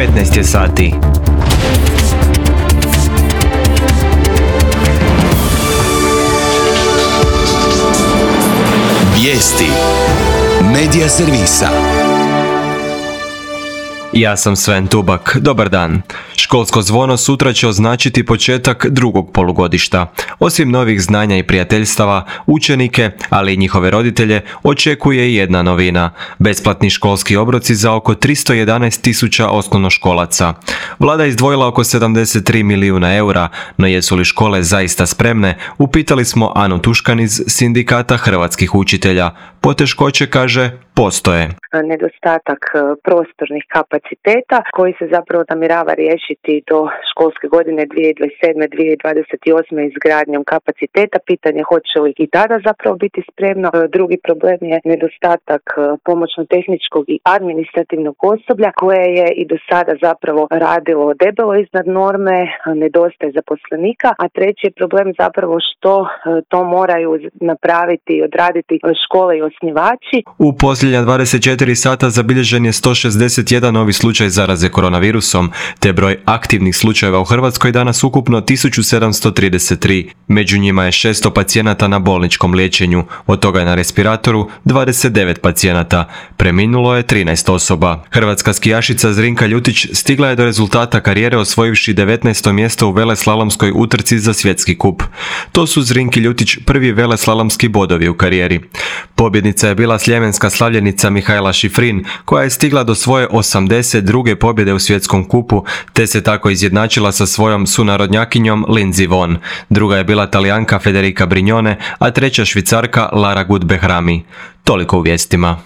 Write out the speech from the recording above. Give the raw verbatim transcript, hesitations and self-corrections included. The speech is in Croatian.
petnaest je sati. Vijesti Medija servisa. Ja sam Sven Tubak. Dobar dan. Školsko zvono sutra će označiti početak drugog polugodišta. Osim novih znanja i prijateljstava, učenike, ali i njihove roditelje, očekuje i jedna novina. Besplatni školski obroci za oko tristo jedanaest tisuća osnovnoškolaca. Vlada je izdvojila oko sedamdeset tri milijuna eura, no jesu li škole zaista spremne? Upitali smo Anu Tuškan iz Sindikata hrvatskih učitelja. Poteškoće, kaže, postoje. Nedostatak prostornih kapaciteta koji se zapravo namjerava riješiti do školske godine dvije tisuće dvadeset sedme dvije tisuće dvadeset osme izgradnjom kapaciteta. Pitanje hoće li i tada zapravo biti spremno. Drugi problem je nedostatak pomoćno-tehničkog i administrativnog osoblja koje je i do sada zapravo radilo debelo iznad norme, nedostaje zaposlenika, a treći je problem zapravo što to moraju napraviti i odraditi škole i osnivači. U posljednja dvadeset četiri sata zabilježen je sto šezdeset jedan novi slučaj zaraze koronavirusom, te broj aktivnih slučajeva u Hrvatskoj danas ukupno tisuću sedamsto trideset tri. Među njima je šesto pacijenata na bolničkom liječenju, od toga je na respiratoru dvadeset devet pacijenata. Preminulo je trinaest osoba. Hrvatska skijašica Zrinka Ljutić stigla je do rezultata karijere osvojivši devetnaesto mjesto u veleslalomskoj utrci za svjetski kup. To su Zrinki Ljutić prvi veleslalomski bodovi u karijeri. Pobjednica je bila sljemenska slavljenica Mihajla Šifrin, koja je stigla do svoje osamdeset druge pobjede u svjetskom kupu, te se tako izjednačila sa svojom sunarodnjakinjom Lindsey Vonn. Druga je bila Talijanka Federica Brignone, a treća Švicarka Lara Gut Behrami. Toliko u vijestima.